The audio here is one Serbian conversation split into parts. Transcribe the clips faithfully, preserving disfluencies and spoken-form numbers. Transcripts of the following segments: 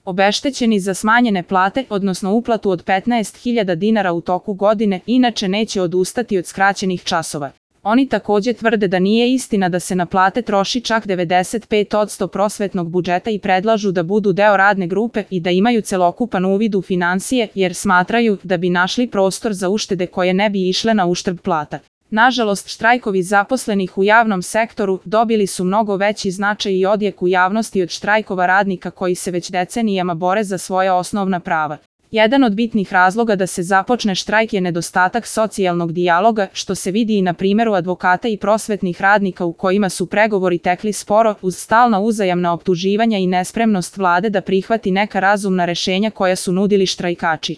obeštećeni za smanjene plate, odnosno uplatu od petnaest hiljada dinara u toku godine, inače neće odustati od skraćenih časova. Oni takođe tvrde da nije istina da se na plate troši čak devedeset pet posto prosvetnog budžeta i predlažu da budu deo radne grupe i da imaju celokupan uvid u finansije, jer smatraju da bi našli prostor za uštede koje ne bi išle na uštrb plata. Nažalost, štrajkovi zaposlenih u javnom sektoru dobili su mnogo veći značaj i odjek u javnosti od štrajkova radnika koji se već decenijama bore za svoja osnovna prava. Jedan od bitnih razloga da se započne štrajk je nedostatak socijalnog dijaloga, što se vidi i na primjeru advokata i prosvetnih radnika u kojima su pregovori tekli sporo uz stalna uzajamna optuživanja i nespremnost vlade da prihvati neka razumna rešenja koja su nudili štrajkači.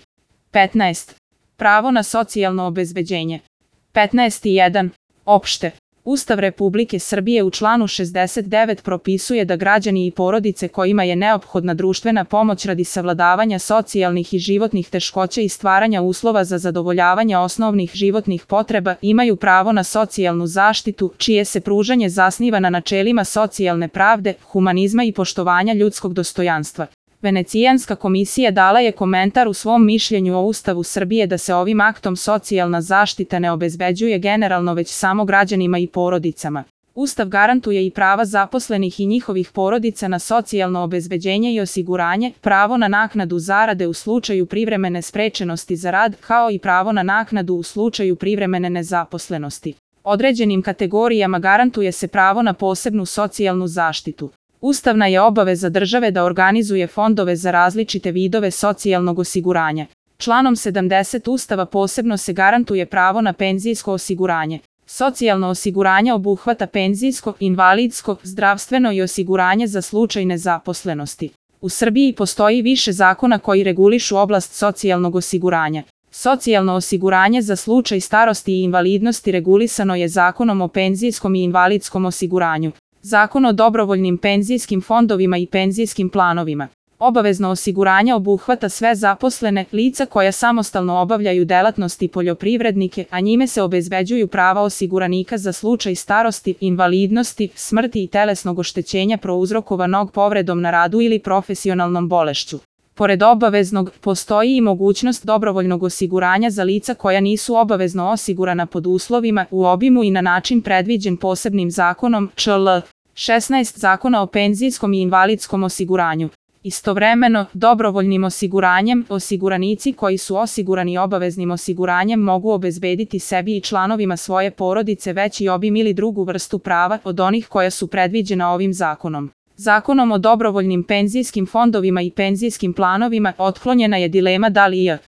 petnaest. Pravo na socijalno obezbeđenje. petnaest jedan. Opšte. Ustav Republike Srbije u članu šezdeset devet propisuje da građani i porodice kojima je neophodna društvena pomoć radi savladavanja socijalnih i životnih teškoća i stvaranja uslova za zadovoljavanje osnovnih životnih potreba imaju pravo na socijalnu zaštitu, čije se pružanje zasniva na načelima socijalne pravde, humanizma i poštovanja ljudskog dostojanstva. Venecijanska komisija dala je komentar u svom mišljenju o Ustavu Srbije da se ovim aktom socijalna zaštita ne obezbeđuje generalno već samo građanima i porodicama. Ustav garantuje i prava zaposlenih i njihovih porodica na socijalno obezbeđenje i osiguranje, pravo na naknadu zarade u slučaju privremene sprečenosti za rad, kao i pravo na naknadu u slučaju privremene nezaposlenosti. Određenim kategorijama garantuje se pravo na posebnu socijalnu zaštitu. Ustavna je obaveza države da organizuje fondove za različite vidove socijalnog osiguranja. Članom sedamdeset Ustava posebno se garantuje pravo na penzijsko osiguranje. Socijalno osiguranje obuhvata penzijsko, invalidsko, zdravstveno i osiguranje za slučaj nezaposlenosti. U Srbiji postoji više zakona koji regulišu oblast socijalnog osiguranja. Socijalno osiguranje za slučaj starosti i invalidnosti regulisano je Zakonom o penzijskom i invalidskom osiguranju. Zakon o dobrovoljnim penzijskim fondovima i penzijskim planovima. Obavezno osiguranje obuhvata sve zaposlene, lica koja samostalno obavljaju delatnosti poljoprivrednike, a njime se obezbeđuju prava osiguranika za slučaj starosti, invalidnosti, smrti i telesnog oštećenja prouzrokovanog povredom na radu ili profesionalnom bolešću. Pored obaveznog, postoji i mogućnost dobrovoljnog osiguranja za lica koja nisu obavezno osigurana pod uslovima, u obimu i na način predviđen posebnim zakonom čl. šesnaest Zakona o penzijskom i invalidskom osiguranju. Istovremeno, dobrovoljnim osiguranjem, osiguranici koji su osigurani obaveznim osiguranjem mogu obezbediti sebi i članovima svoje porodice veći obim ili drugu vrstu prava od onih koja su predviđena ovim zakonom. Zakonom o dobrovoljnim penzijskim fondovima i penzijskim planovima otklonjena je dilema da li je